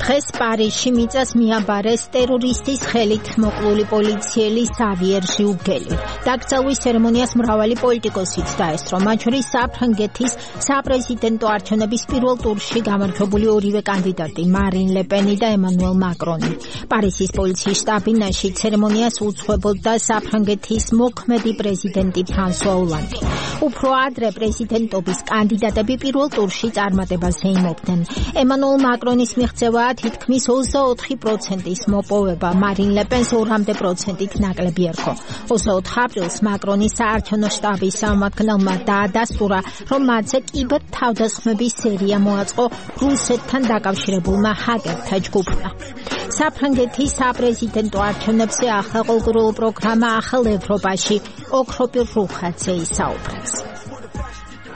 დღეს პარიზში მიწას მიაბარეს ტერორისტის ხელით მოკლული პოლიციელი Xavier Giugeli. დაკრძალვის ცერემონიას მრავალი პოლიტიკოსიც დაესწრო, მათ შორის საფრანგეთის საპრეზიდენტო არჩევნების პირველ ტურში გამარჯვებული ორივე კანდიდატი მარინ ლე პენი და ემანუელ მაკრონი. პარიზის პოლიციის შტაბ-ბინაში ცერემონიას უძღვებოდა საფრანგეთის მოქმედი პრეზიდენტი ფრანსუა ოლანდი. უფრო ადრე პრეზიდენტობის კანდიდატები პირველ ტურში წარმატებას ეიმობდნენ. ემანუელ მაკრონის მიღწევაა თითქმის 24%-ის მოპოვება, მარინ ლე პენს 2%-ით ნაკლები ერქვა. 24 აპრილს მაკრონის საარჩევნო შტაბის წარმომადგენელმა დაადასტურა, რომ მათზე კიბერთავდასხმების სერია მოაწყო რუსეთთან დაკავშირებულმა ჰაკერთა ჯგუფმა. საფრანგეთის საპრეზიდენტო არჩევნებზე ახლა ყოველდღიურ პროგრამა ახალ ევროპაში ოქროპირ რუხაძე ისაუბრებს.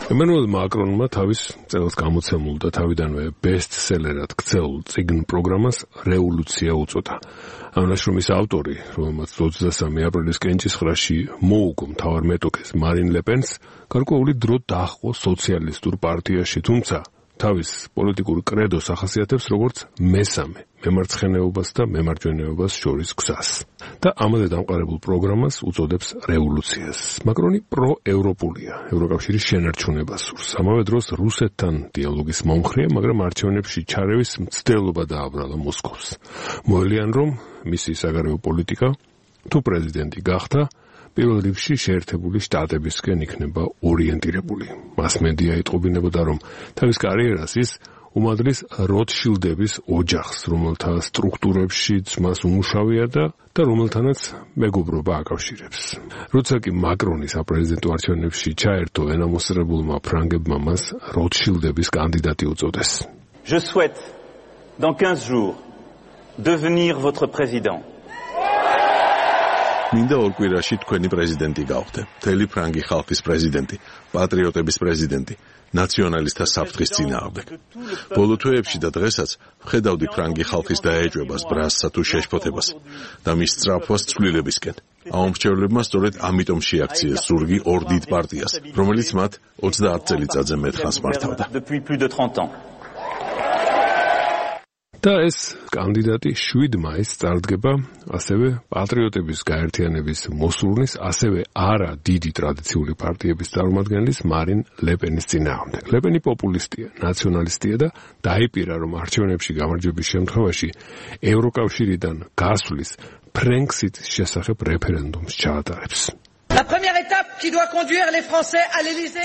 ემანუელ მაკრონმა თავის წელს გამოცემულ და თავიდანვე ბესტსელერად ქცეულ წიგნ პროგრამას რევოლუცია უწოდა. ამ ნაშრომის ავტორი, რომელმაც 23 აპრილის კენჭისყრაში მოუგო მთავარ მეტოქეს მარინ ლე პენს, გარკვეული დრო დაჰყო სოციალისტურ პარტიაში, თუმცა თავის პოლიტიკურ კრედოს ახასიათებს როგორც მესამე მემარცხენეობას და მემარჯვენეობას შორის გზას და ამაზე დამყარებულ პროგრამას უწოდებს რევოლუციას. მაკრონი პროევროპულია, ევროკავშირის შენარჩუნებას სურს. ამავე დროს რუსეთთან დიალოგის მომხრეა, მაგრამ არჩევნებში ჩარევის მცდელობა დააბრალა მოსკოვს. მოელიან, რომ მისი საგარეო პოლიტიკა თუ პრეზიდენტი გახდა, პირველ რიგში შეერთებული შტატებისკენ იქნება ორიენტირებული. მასმედია იტყობინებოდა, რომ თავის კარიერას ის უმადრის როტშილდების ოჯახს, რომელთა სტრუქტურებშიც მას უმუშავია და რომელთანაც მეგობრობა აკავშირებს. როცა კი მაკრონი საპრეზიდენტო არჩევნებში ჩაერთო, ენამოსრებულმა ფრანგებმა მას როტშილდების კანდიდატი უწოდეს. Je souhaite dans 15 jours devenir votre président. მინდა ორ კვირაში თქვენი პრეზიდენტი გავხდე, მთელი ფრანგი ხალხის პრეზიდენტი, პატრიოტების პრეზიდენტი, ნაციონალისტთა საფრთხის წინააღმდეგ. ბოლო თვეებში და დღესაც ვხედავდი ფრანგი ხალხის დაეჭვებას, ბრასსა თუ შეშფოთებას და მის სწრაფვას ცვლილებისკენ. ამ მრჩევლებმა სწორედ ამიტომ შეაქციეს ზურგი ორ დიდ პარტიას, რომელიც მათ 30 წელიწადზე მეტხანს მართავდა. და ეს კანდიდატი 7 მაისს წარდგება ასევე პატრიოტების გაერთიანების მოსურნის, ასევე არა დიდი ტრადიციული პარტიების წარმომადგენლის მარინ ლე პენის წინააღმდეგ. ლე პენი პოპულისტია, ნაციონალისტია და დაიპირა, რომ არჩევნებში გამარჯვების შემთხვევაში ევროკავშირიდან გასვლის ფრენქსიტის შესახებ რეფერენდუმს ჩაატარებს.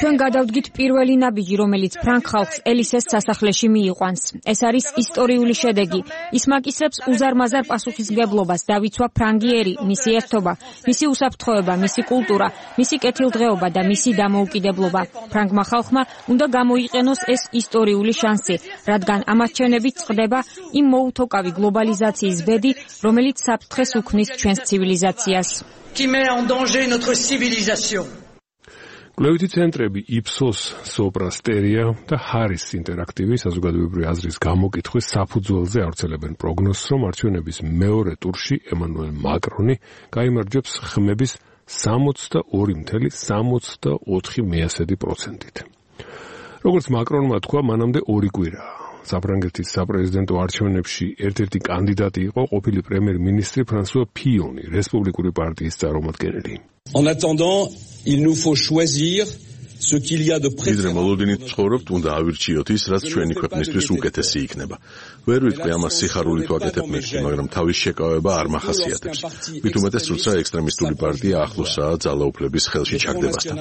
ჩვენ გადავდგით პირველი ნაბიჯი, რომელიც ფრანგ ხალხს ელისეს სასახლეში მიიყვანს. ეს არის ისტორიული შედეგი. ის მაკისრებს უზარმაზარ პასუხისმგებლობას, დავიცვა ფრანგიერი, მისი ერთობა, მისი უსაფრთხოება, მისი კულტურა, მისი კეთილდღეობა და მისი დამოუკიდებლობა. ფრანგმა ხალხმა უნდა გამოიყენოს ეს ისტორიული შანსი, რადგან ამ არჩევნებით წყდება იმ მოუთოკავი გლობალიზაციის ბედი, რომელიც საფრთხეს უქმნის ჩვენს ცივილიზაციას. qui met en danger notre civilisation. კვლევითი ცენტრები იფსოს, სოპრასტერია და ჰარის ინტერაქტივი საზოგადოებრივი აზრის გამოკითხვის საფუძველზე ავრცელებენ პროგნოზს, რომ არჩევნების მეორე ტურში ემანუელ მაკრონი გაიმარჯვებს ხმების 62.64%-ით. როგორც მაკრონმა თქვა, მანამდე 2 კვირაა. საფრანგეთის საპრეზიდენტო არჩევნებში ერთ-ერთი კანდიდატი იყო ყოფილი პრემიერ-მინისტრი ფრანსუა ფიონი, რესპუბლიკური პარტიის წარმომადგენელი. En attendant, il nous faut choisir ce qu'il y a de préférable. მოლოდინით ცხოვრობთ, უნდა ავირჩიოთ ის, რაც ჩვენი ქვეყნისთვის უკეთესი იქნება. ვერ ვიტყვი ამას სიხარულით ვაკეთებ მეთქი, მაგრამ თავის შეკავება არ მახასიათებს. მით უმეტეს, როცა ექსტრემისტული პარტია ახლოსაა ძალაუფლების ხელში ჩაგდებასთან.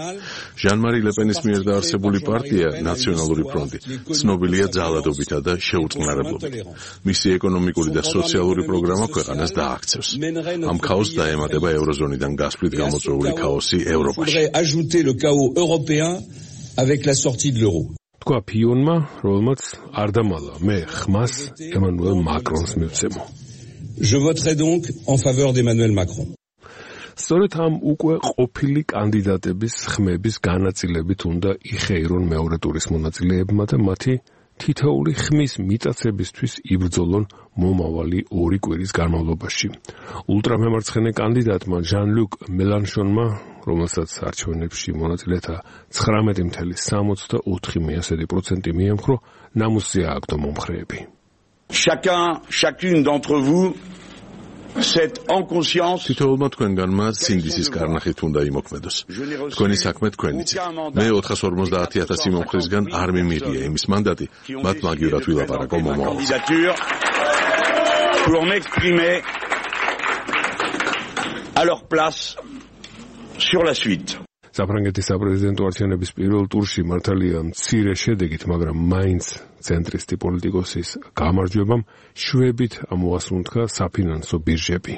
ჟან-მარი ლე პენის მიერ დაარსებული პარტია, ნაციონალური ფრონტი, ცნობილია ძალადობითა და შეუწყნარებლობით. მისი ეკონომიკური და სოციალური პროგრამა ქვეყანას დააქცევს. ამ ქაოსს დაემატება ევროზონიდან გასვლით გამოწვეული ქაოსი ევროპაში. avec la sortie de l'euro. თქვა ფიონმა, რომელმაც არ დამალა, მე ხმას ემანუელ მაკრონს მივცემო. Je voterai donc en faveur d'Emmanuel Macron. სწორედ ამ უკვე ყოფილი კანდიდატების ხმების განაწილებით უნდა იხეირონ მეორე ტურის მონაწილეებმა და მათი თითოეული ხმის მიტაცებისთვის იბრძოლონ მომავალი 2 კვირის განმავლობაში. ულტრამემარცხენე კანდიდატმა ჟან-ლუკ მელანშონმა, რომელსაც არჩევნებში მონაწილეთა 19.64% მიემხრო, ნამუსია აკდო მომხრეები. Chacune d'entre vous c'est en conscience თითოეულმა თქვენგანმა სინდისის კარნახით უნდა იმოქმედოს. თქვენი საქმე თქვენიცით. მე 450,000 სიმომხრისგან არ მიმიღია იმის მანდატი, მათ მაგივრად ვილაპარაკო მომავალზე. Pour m'exprimer à leur place sur la suite. საფრანგეთის საპრეზიდენტო არჩევნების პირველ ტურში მართალია მცირე შედეგით, მაგრამ მაინც ცენტრისტი პოლიტიკოსის გამარჯვებამ შვებით ამოასუნთქა საფინანსო ბირჟები.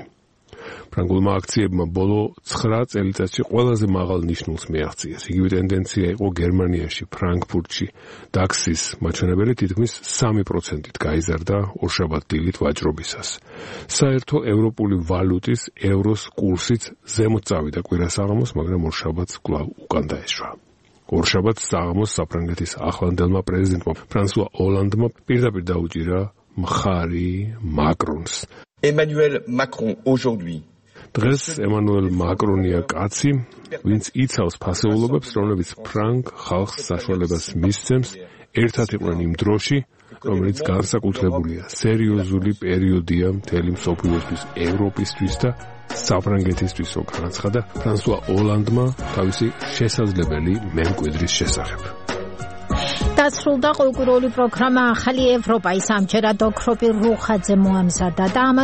ფრანგულმა აქციებმა ბოლო 9 წელიწადში ყველაზე მაღალ ნიშნულს მიაღწიეს. იგივე ტენდენცია იყო გერმანიაში, ფრანკფურტში. DAX-ის მაჩვენებელი თითქმის 3%-ით გაიზარდა ორშაბათ დილით ვაჭრობისას. საერთო ევროპული ვალუტის ევროს კურსიც ზემოთ წავიდა კვირასაღამოს, მაგრამ ორშაბათს კვლავ უკან დაეშვა. ორშაბათს საღამოს საფრანგეთის ახლანდელმა პრეზიდენტმა ფრანსუა ოლანდმა პირდაპირ დაუჭირა მხარი მაკრონს. Emmanuel Macron aujourd'hui დღეს ემანუელ მაკრონია კაცი, ვინც იცავს ფასეულობებს, რომლებიც ფრანგ ხალხს საშუალებას მისცემს ერთად იყვნენ იმ დროში, რომელიც განსაკუთრებულია სერიოზული პერიოდია მთელი მსოფლიოსთვის, ევროპისთვის და საფრანგეთისთვის, განაცხადა ფრანსუა ოლანდმა თავისი შესაძლებელი მემკვიდრის შესახებ. დასრულდა კულტურული პროგრამა ახალი ევროპა, ის ამჯერად ოქროპირ რუხაძე მოამზადა და